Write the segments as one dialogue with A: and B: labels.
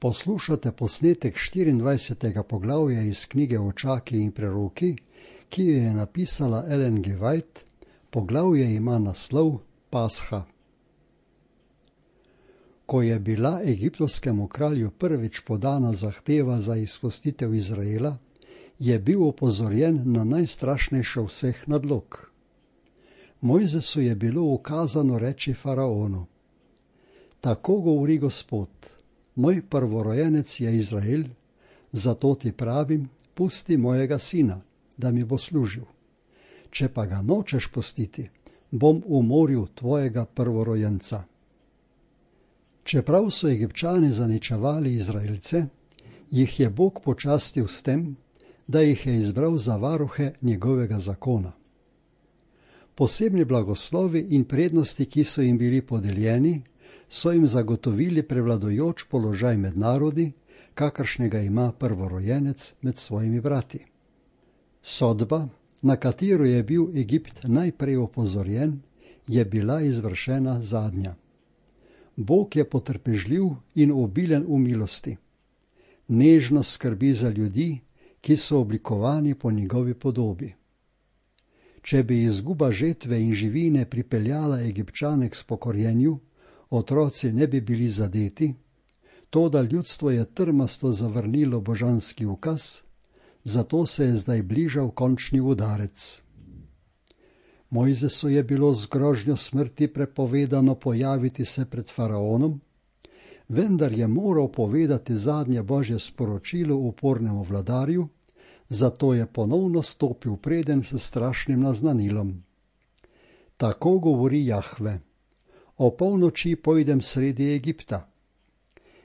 A: Poslušate posnetek 24. poglavja iz knjige Očaki in preroki, ki jo je napisala Ellen G. White. Poglavje ima naslov Pasha. Ko je bila egiptovskemu kralju prvič podana zahteva za izpustitev Izraela, je bil opozorjen na najstrašnejšo vseh nadlog. Mojzesu je bilo ukazano reči faraonu: Tako govori Gospod, moj prvorojenec je Izrael, zato ti pravim, pusti mojega sina, da mi bo služil. Če pa ga nočeš pustiti, bom umoril tvojega prvorojenca. Čeprav so Egipčani zaničevali Izraelce, jih je Bog počastil s tem, da jih je izbral za varuhe njegovega zakona. Posebni blagoslovi in prednosti, ki so jim bili podeljeni, so jim zagotovili prevladujoč položaj med narodi, kakršnega ima prvorojenec med svojimi brati. Sodba, na katero je bil Egipt najprej opozorjen, je bila izvršena zadnja. Bog je potrpežljiv in obilen v milosti. Nežno skrbi za ljudi, ki so oblikovani po njegovi podobi. Če bi izguba žetve in živine pripeljala Egipčane k spokorjenju, otroci ne bi bili zadeti, toda ljudstvo je trmasto zavrnilo božanski ukaz, zato se je zdaj bližal končni udarec. Mojzesu je bilo z grožnjo smrti prepovedano pojaviti se pred faraonom, vendar je moral povedati zadnje božje sporočilo upornemu vladarju, zato je ponovno stopil preden s strašnim naznanilom. Tako govori Jahve: O polnoči pojdem sredi Egipta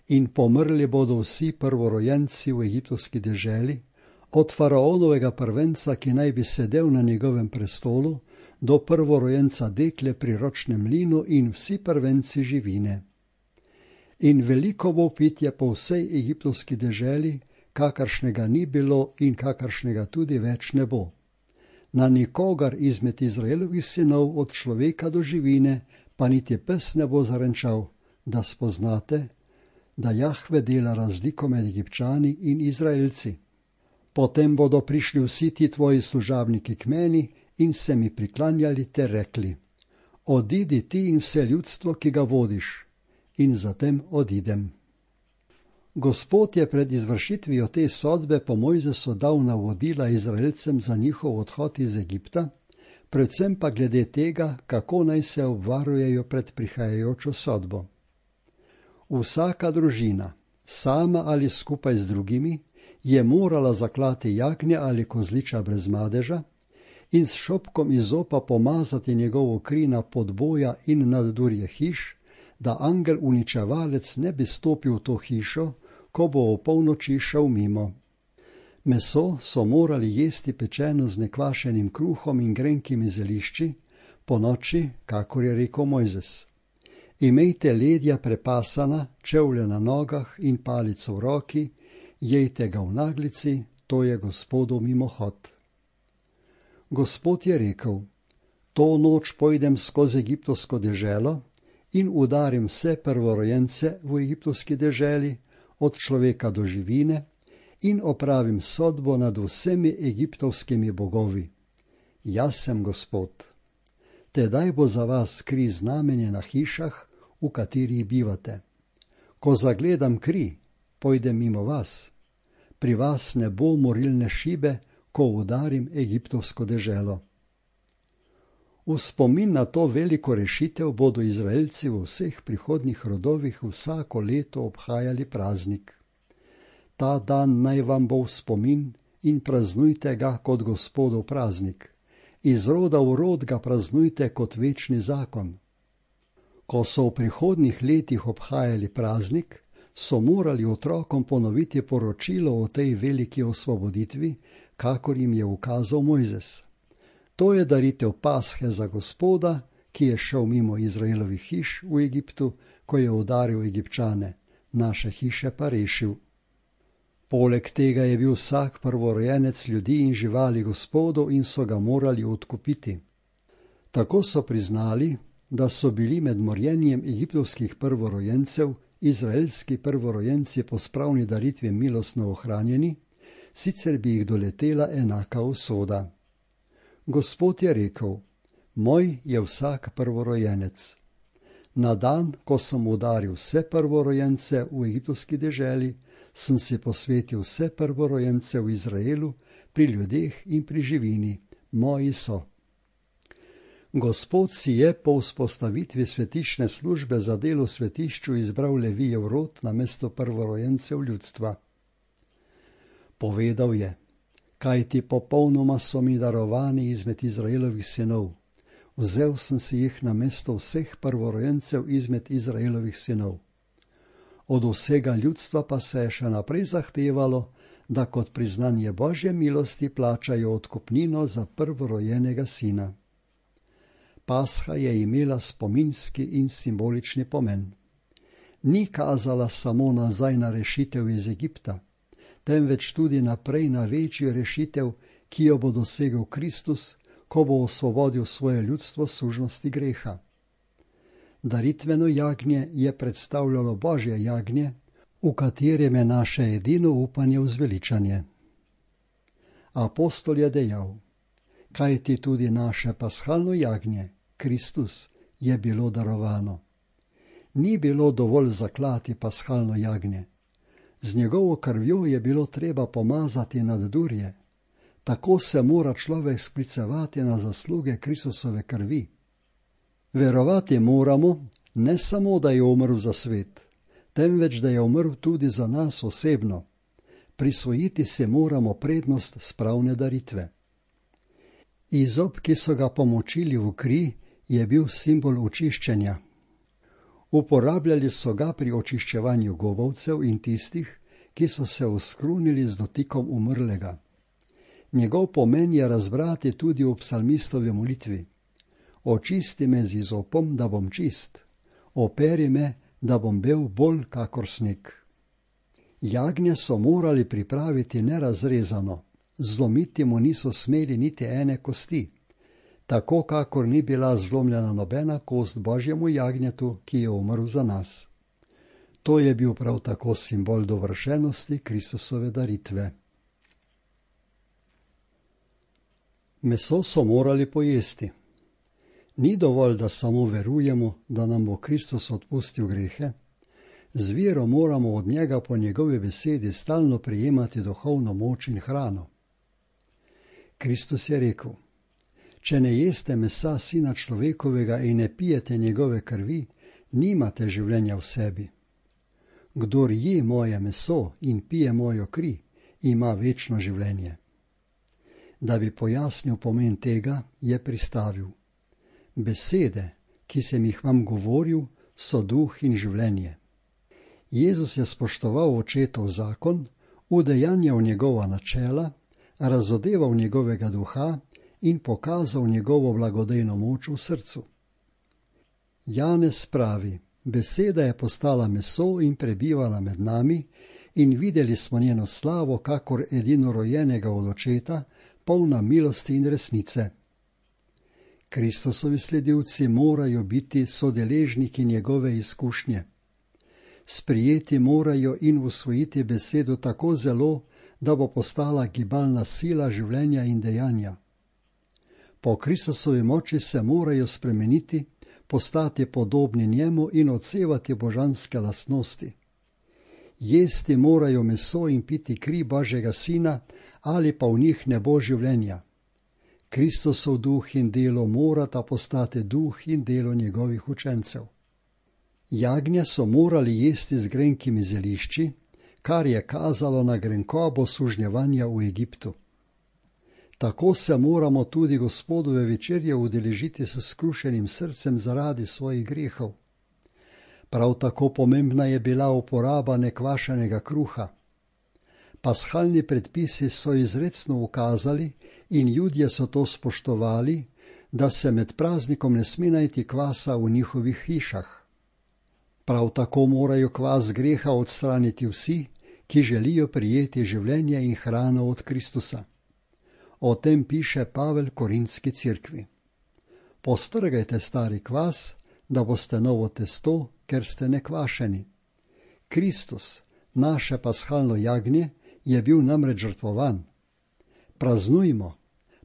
A: in pomrli bodo vsi prvorojenci v egiptovski deželi, od faraonovega prvenca, ki naj bi sedel na njegovem prestolu, do prvorojenca dekle pri ročnem mlinu in vsi prvenci živine. In veliko bo pitje po vsej egiptovski deželi, kakršnega ni bilo in kakršnega tudi več ne bo. Na nikogar izmed Izraelovih sinov od človeka do živine pa niti pes ne bo zarenčal, da spoznate, da Jahve dela razliko med Egipčani in Izraelci. Potem bodo prišli vsi ti tvoji služabniki k meni in se mi priklanjali ter rekli: Odidi ti in vse ljudstvo, ki ga vodiš, in zatem odidem. Gospod je pred izvršitvijo te sodbe po Mojzesu dal navodila Izraelcem za njihov odhod iz Egipta, predvsem pa glede tega, kako naj se obvarujejo pred prihajajočo sodbo. Vsaka družina, sama ali skupaj z drugimi, je morala zaklati jagnja ali kozliča brez madeža in s šopkom izopa pomazati njegovo kri na podboja in naddurje hiš, da angel uničevalec ne bi stopil v to hišo, ko bo opolnoči šel mimo. Meso so morali jesti pečeno z nekvašenim kruhom in grenkimi zelišči, ponoči, kakor je rekel Mojzes. Imejte ledja prepasana, čevlje na nogah in palico v roki, jejte ga v naglici, to je Gospodov mimohod. Gospod je rekel: To noč pojdem skozi egiptovsko deželo in udarim vse prvorojence v egiptovski deželi, od človeka do živine, in opravim sodbo nad vsemi egiptovskimi bogovi. Jaz sem Gospod. Tedaj bo za vas kri znamenje na hišah, v katerih bivate. Ko zagledam kri, pojdem mimo vas. Pri vas ne bo morilne šibe, ko udarim egiptovsko deželo. V spomin na to veliko rešitev bodo Izraelci v vseh prihodnjih rodovih vsako leto obhajali praznik. Ta dan naj vam bo v spomin in praznujte ga kot Gospodov praznik. Iz roda v rod ga praznujte kot večni zakon. Ko so v prihodnjih letih obhajali praznik, so morali otrokom ponoviti poročilo o tej veliki osvoboditvi, kakor jim je ukazal Mojzes. To je daritev Pashe za Gospoda, ki je šel mimo Izraelovih hiš v Egiptu, ko je udaril Egipčane, naše hiše pa rešil. Poleg tega je bil vsak prvorojenec ljudi in živali Gospodov in so ga morali odkupiti. Tako so priznali, da so bili med morjenjem egiptovskih prvorojencev izraelski prvorojenci po spravni daritvi milostno ohranjeni, sicer bi jih doletela enaka usoda. Gospod je rekel: Moj je vsak prvorojenec. Na dan, ko sem udaril vse prvorojence v egiptovski deželi, sem si posvetil vse prvorojence v Izraelu, pri ljudeh in pri živini, moji so. Gospod si je po vzpostavitvi svetišne službe za delo v svetišču izbral Levijev rod namesto prvorojencev ljudstva. Povedal je: Kajti popolnoma so mi darovani izmed Izraelovih sinov. Vzel sem si jih namesto vseh prvorojencev izmed Izraelovih sinov. Od vsega ljudstva pa se je še naprej zahtevalo, da kot priznanje Božje milosti plačajo odkupnino za prvorojenega sina. Pasha je imela spominski in simbolični pomen. Ni kazala samo nazaj na rešitev iz Egipta, temveč tudi naprej na večjo rešitev, ki jo bo dosegel Kristus, ko bo osvobodil svoje ljudstvo sužnosti greha. Daritveno jagnje je predstavljalo Božje jagnje, v katerem je naše edino upanje vzveličanje. Apostol je dejal: Kajti tudi naše paschalno jagnje, Kristus, je bilo darovano. Ni bilo dovolj zaklati paschalno jagnje. Z njegovo krvjo je bilo treba pomazati naddurje. Tako se mora človek sklicevati na zasluge Kristusove krvi. Verovati moramo, ne samo, da je umrl za svet, temveč da je umrl tudi za nas osebno. Prisvojiti se moramo prednost spravne daritve. Izop, ki so ga pomočili v kri, je bil simbol očiščenja. Uporabljali so ga pri očiščevanju govovcev in tistih, ki so se oskrunili z dotikom umrlega. Njegov pomen je razbrati tudi v psalmistovi molitvi. Očisti me z izopom, da bom čist. Operi me, da bom bel bolj kakor sneg. Jagnje so morali pripraviti nerazrezano, zlomiti mu niso smeli niti ene kosti, tako kakor ni bila zlomljena nobena kost Božjemu jagnjetu, ki je umrl za nas. To je bil prav tako simbol dovršenosti Kristusove daritve. Meso so morali pojesti. Ni dovolj, da samo verujemo, da nam bo Kristus odpustil grehe. Z vero moramo od njega po njegovi besedi stalno prejemati duhovno moč in hrano. Kristus je rekel: Če ne jeste mesa Sina človekovega in ne pijete njegove krvi, nimate življenja v sebi. Kdor je moje meso in pije mojo kri, ima večno življenje. Da bi pojasnil pomen tega, je pristavil: Besede, ki sem jih vam govoril, so duh in življenje. Jezus je spoštoval očetov zakon, udejanjal njegova načela, razodeval njegovega duha in pokazal njegovo blagodejno moč v srcu. Janez pravi: Beseda je postala meso in prebivala med nami in videli smo njeno slavo kakor edinorojenega od očeta, polna milosti in resnice. Kristusovi sledilci morajo biti sodeležniki njegove izkušnje. Sprijeti morajo in usvojiti besedo tako zelo, da bo postala gibalna sila življenja in dejanja. Po Kristusovi moči se morajo spremeniti, postati podobni njemu in odsevati božanske lastnosti. Jesti morajo meso in piti kri Božjega Sina, ali pa v njih ne bo življenja. Kristusov duh in delo morata postati duh in delo njegovih učencev. Jagnje so morali jesti z grenkimi zelišči, kar je kazalo na grenkobo sužnjevanja v Egiptu. Tako se moramo tudi Gospodove večerje udeležiti s skrušenim srcem zaradi svojih grehov. Prav tako pomembna je bila uporaba nekvašenega kruha. Paschalni predpisi so izrecno ukazali in Judje so to spoštovali, da se med praznikom ne sme najti kvasa v njihovih hišah. Prav tako morajo kvas greha odstraniti vsi, ki želijo prijeti življenje in hrano od Kristusa. O tem piše Pavel Korintski cerkvi. Postrgajte stari kvas, da boste novo testo, ker ste nekvašeni. Kristus, naše paschalno jagnje, je bil namreč žrtvovan. Praznujmo,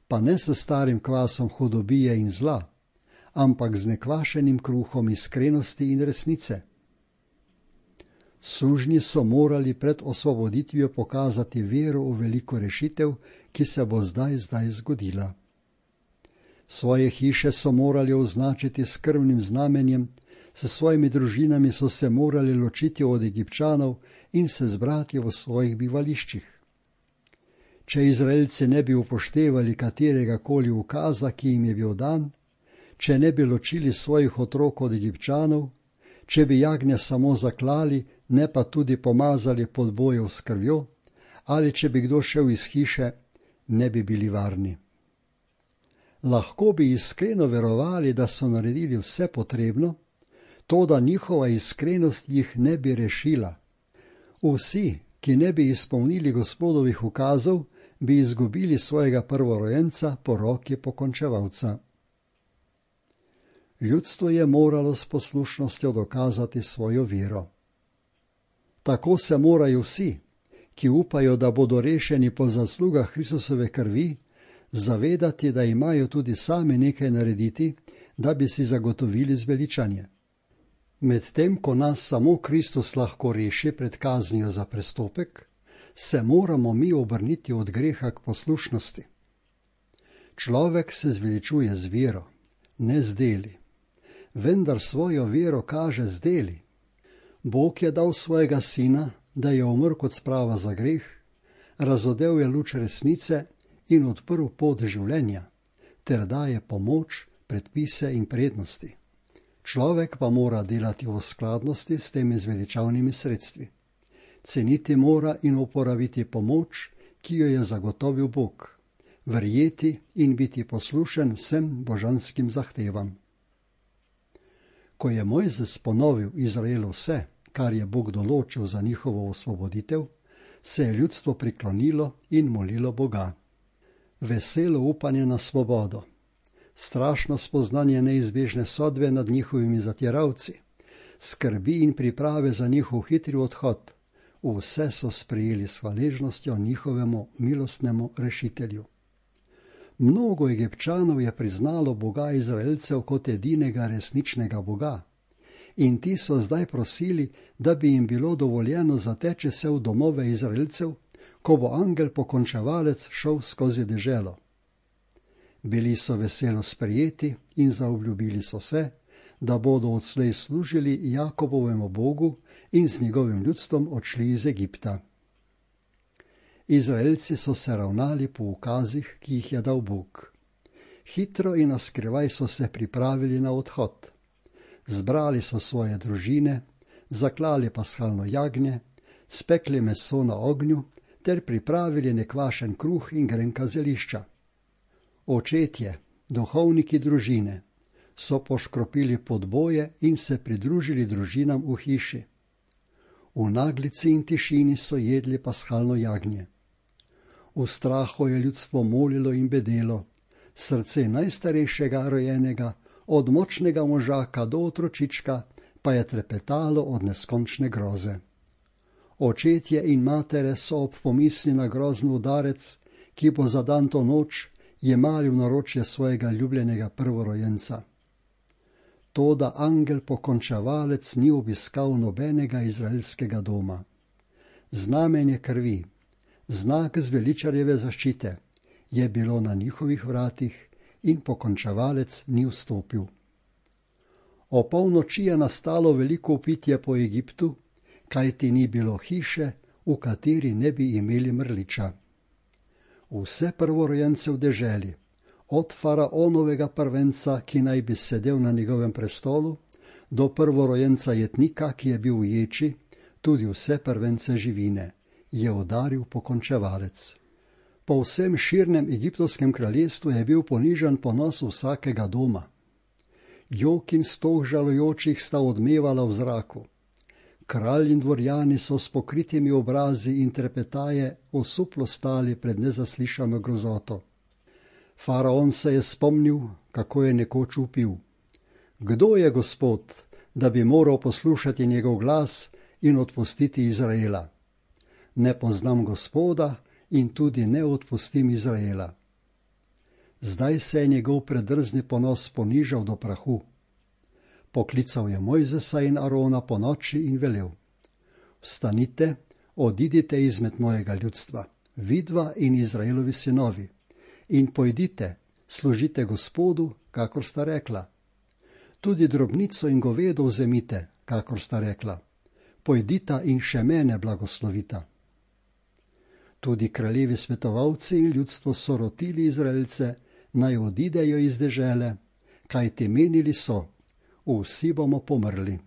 A: pa ne s starim kvasom hudobije in zla, ampak z nekvašenim kruhom iskrenosti in resnice. Sužnji so morali pred osvoboditvijo pokazati vero v veliko rešitev, ki se bo zdaj zgodila. Svoje hiše so morali označiti s krvnim znamenjem, s svojimi družinami so se morali ločiti od Egipčanov in se zbrati v svojih bivališčih. Če Izraelci ne bi upoštevali katerega koli ukaza, ki jim je bil dan, če ne bi ločili svojih otrok od Egipčanov, če bi jagnje samo zaklali, ne pa tudi pomazali pod bojev s krvjo, ali če bi kdo šel iz hiše, ne bi bili varni. Lahko bi iskreno verovali, da so naredili vse potrebno, toda njihova iskrenost jih ne bi rešila. Vsi, ki ne bi izpolnili Gospodovih ukazov, bi izgubili svojega prvorojenca po roki pokončevalca. Ljudstvo je moralo s poslušnostjo dokazati svojo vero. Tako se morajo vsi, ki upajo, da bodo rešeni po zaslugah Kristusove krvi, zavedati, da imajo tudi sami nekaj narediti, da bi si zagotovili zveličanje. Medtem ko nas samo Kristus lahko reši pred kaznijo za prestopek, se moramo mi obrniti od greha k poslušnosti. Človek se zveličuje z vero, ne z deli, vendar svojo vero kaže z deli. Bog je dal svojega sina, da je umrl kot sprava za greh, razodel je luč resnice in odprl pot življenja, ter daje pomoč, predpise in prednosti. Človek pa mora delati v skladnosti s temi zveličavnimi sredstvi. Ceniti mora in uporabiti pomoč, ki jo je zagotovil Bog, verjeti in biti poslušen vsem božanskim zahtevam. Ko je Mojzes ponovil Izraelu vse, kar je Bog določil za njihovo osvoboditev, se je ljudstvo priklonilo in molilo Boga. Veselo upanje na svobodo, strašno spoznanje neizbežne sodbe nad njihovimi zatiralci, skrbi in priprave za njihov hitri odhod, vse so sprejeli s hvaležnostjo njihovemu milostnemu rešitelju. Mnogo Egipčanov je priznalo Boga Izraelcev kot edinega resničnega Boga in ti so zdaj prosili, da bi jim bilo dovoljeno zateči se v domove Izraelcev, ko bo angel pokončevalec šel skozi deželo. Bili so veselo sprejeti in zaobljubili so se, da bodo odslej služili Jakobovemu Bogu in z njegovim ljudstvom odšli iz Egipta. Izraelci so se ravnali po ukazih, ki jih je dal Bog. Hitro in naskrivaj so se pripravili na odhod. Zbrali so svoje družine, zaklali paschalno jagnje, spekli meso na ognju ter pripravili nekvašen kruh in grenka zelišča. Očetje, duhovniki družine, so poškropili podboje in se pridružili družinam v hiši. V naglici in tišini so jedli paschalno jagnje. V strahu je ljudstvo molilo in bedelo, srce najstarejšega rojenega, od močnega možaka do otročička, pa je trepetalo od neskončne groze. Očetje in matere so ob pomisli na grozen udarec, ki bo zadan to noč, jemali v naročje svojega ljubljenega prvorojenca. Toda angel pokončevalec ni obiskal nobenega izraelskega doma. Znamenje krvi, znak zveličarjeve zaščite, je bilo na njihovih vratih in pokončevalec ni vstopil. O polnoči je nastalo veliko vpitje po Egiptu, kajti ni bilo hiše, v kateri ne bi imeli mrliča. Vse prvorojence v deželi, od faraonovega prvenca, ki naj bi sedel na njegovem prestolu, do prvorojenca jetnika, ki je bil v ječi, tudi vse prvence živine, je udaril pokončevalec. Po vsem širnem egiptovskem kraljestvu je bil ponižan ponos vsakega doma. Jok in stoh žalujočih sta odmevala v zraku. Kralj in dvorjani so s pokritimi obrazi in trepetaje osuplo stali pred nezaslišano grozoto. Faraon se je spomnil, kako je nekoč vpil: Kdo je Gospod, da bi moral poslušati njegov glas in odpustiti Izraela. Ne poznam Gospoda in tudi ne odpustim Izraela. Zdaj se je njegov predrzni ponos ponižal do prahu. Poklical je Mojzesa in Arona po noči in velel: Vstanite, odidite izmed mojega ljudstva, vidva in Izraelovi sinovi, in pojdite, služite Gospodu, kakor sta rekla. Tudi drobnico in govedo vzemite, kakor sta rekla. Pojdita in še mene blagoslovita. Tudi kraljevi svetovalci in ljudstvo so rotili Izraelce, naj odidejo iz dežele, kajti menili so: vsi bomo pomrli.